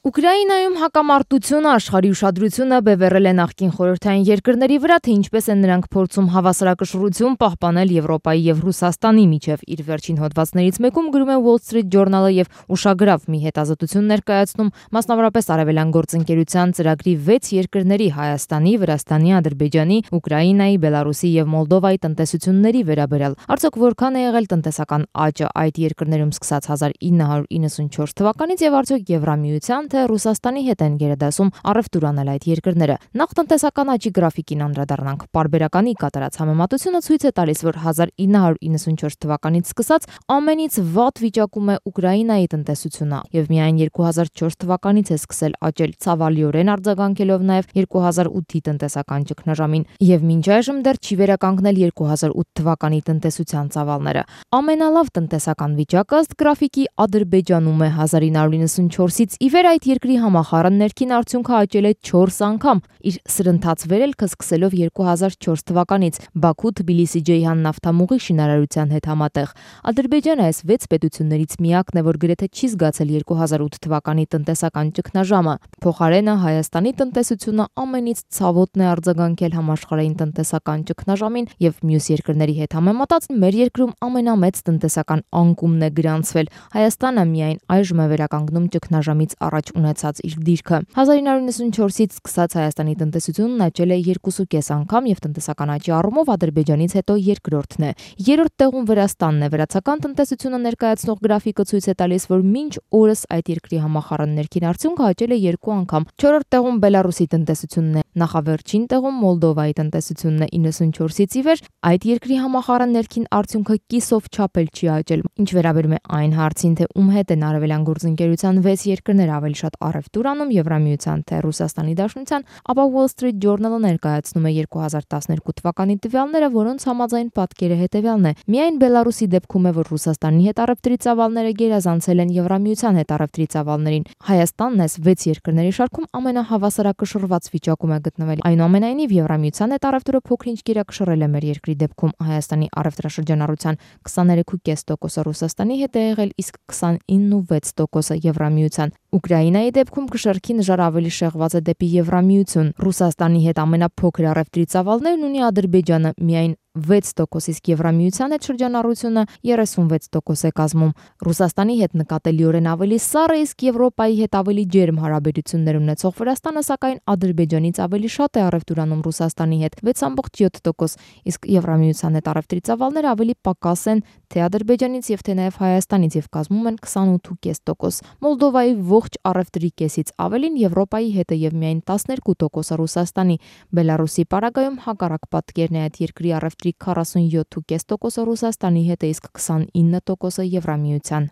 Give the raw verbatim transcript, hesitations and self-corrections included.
Ուկրաինայում հակամարտությունը աշխարհի ուշադրությունը բևեռել է նախկին խորհրդային երկրների վրա, թե ինչպես են նրանք փորձում հավասարակշռություն պահպանել Եվրոպայի եւ Ռուսաստանի միջև։ Իր վերջին հոդվածներից մեկում գրում է Wall Street Journal-ը եւ ուշագրավ մի հետազոտություն ներկայացնում, մասնավորապես Արևելյան գործընկերության ծրագրի վեց երկրների՝ Հայաստանի, Վրաստանի, Ադրբեջանի, Ուկրաինայի, Բելարուսի եւ Մոլդովայի տնտեսությունների վերաբերյալ։ Արդյոք որքան է եղել տնտեսական աճը այդ երկրներում սկսած հազար ինը հարյուր իննսունչորս թվականից եւ արդյոք Եվրամիության թե Ռուսաստանի հետ են գերադասում առևտուր անել այդ երկրները։ Նախ տնտեսական աճի գրաֆիկին անդրադառնանք։ Պարբերականի կատարած համեմատությունը ցույց է տալիս, որ հազար ինը հարյուր իննսունչորս թվականից սկսած ամենից վատ վիճակում է Ուկրաինայի տնտեսությունը եւ միայն երկու հազար չորս թվականից է սկսել աճել, ցավալիորեն արձագանքելով նաեւ երկու հազար ութի տնտեսական ճգնաժամին եւ մինչ այժմ դեռ չի վերականգնել երկու հազար ութ թվականի տնտեսության ծավալները։ Ամենալավ տնտեսական վիճակը ըստ գրաֆիկի Ադրբեջանում է հազար ինը հարյուր իննսունչորսից ի վեր այդ երկրի համախառն ներքին արդյունքը աճել է չորս անգամ, իր սրընթաց վերելքը սկսելով երկու հազար չորս թվականից Բաքու-Թբիլիսի-Ջեյհան նավթամուղի շինարարության հետ համատեղ։ Ադրբեջանը այս վեց պետություններից միակն է, որ գրեթե չի զգացել երկու հազար ութ թվականի տնտեսական ճգնաժամը։ Փոխարենը Հայաստանի տնտեսությունը ամենից ցավոտն է արձագանքել համաշխարհային տնտեսական ճգնաժամին եւ մյուս երկրների հետ համեմատած մեր երկրում ամենամեծ տնտեսական անկումն է գրանցվել։ Հայաստանը միայն այժմ է վերականգնում ճգնաժամից առաջ ունեցած իր դիրքը։ հազար ինը հարյուր իննսունչորսից սկսած Հայաստանի տնտեսությունն աճել է երկուսուկես անգամ եւ տնտեսական աճի առումով Ադրբեջանից հետո երկրորդն է։ Երրորդ տեղում Վրաստանն է։ Վրացական տնտեսությունը ներկայացնող գրաֆիկը ցույց է տալիս, որ մինչ օրս այդ երկրի համախառն ներքին արդյունքը աճել է երկու անգամ։ Չորրորդ տեղում Բելարուսի տնտեսությունն է, նախավերջին տեղում Մոլդովայի տնտեսությունն է իննսունչորսից ի վեր, այդ երկրի համախառն ներքին արդյունքը կիսով չափ էլ չի աճել։ Ինչ վերաբերում է այն հարցին, թե ում հետ են Արևելյան գործընկերության վեց երկրներ ավելի շատ առևտուր անում Եվրամիության թե Ռուսաստանի Դաշնության, ապա Wall Street Journal-ը ներկայացնում է երկու հազար տասներկու թվականի տվյալները, որոնց համաձայն պատկերը հետևյալն է. միայն Բելարուսի դեպքում է, որ Ռուսաստանի հետ առևտրի ծավալները գերազանցել են Եվրամիության հետ առևտրի ծավալներին։ Հայաստանն այս վեց երկրների շարքում ամենահավասարակշռված վիճակում է գտնվել։ Այնուամենայնիվ Եվրամիության հետ առևտուրը փոքր-ինչ գերակշռել է մեր երկրի դեպքում։ Հայաստանի առևտրաշրջանառության քսաներեք կես տոկոսը Ռուսաստանի հետ է եղել, իսկ քսանինը ու վեց տոկոսը Եվրամիության։ Ուկրաինայի դեպքում կշեռքի նժար ավելի շեղված է դեպի Եվրամիություն։ Ռուսաստանի հետ ամենափոքր առևտրի ծավալներն ունի Ադրբեջանը՝ միայն վեց տոկոս, իսկ Եվրամիության հետ շրջանառությունը երեսունվեց տոկոս է կազմում։ Ռուսաստանի հետ նկատելիորեն ավելի սառը, իսկ Եվրոպայի հետ ավելի ջերմ հարաբերություններ ունեցող Վրաստանը, սակայն Ադրբեջանից ավելի շատ է առևտուր անում Ռուսաստանի հետ՝ վեց կόμμα յոթ տոկոս, իսկ Եվրամիության հետ առևտրի ծավալները ավելի պակաս են թե Ադրբեջանից եւ թե նաեւ Հայաստանից եւ կազմում են քսանութ կես տոկոս։ Մոլդովայի ողջ առևտրի կեսից ավելին Եվրոպայի հետ է եւ միայն տասներկու տոկոսը Ռուսաստանի։ Բելարուսի պարագայում հակառակ պատկերն է, այդ երկրի առևտրի քառասունյոթ կես տոկոսը Ռուսաստանի հետ է, իսկ քսանինը տոկոսը Եվրամիության։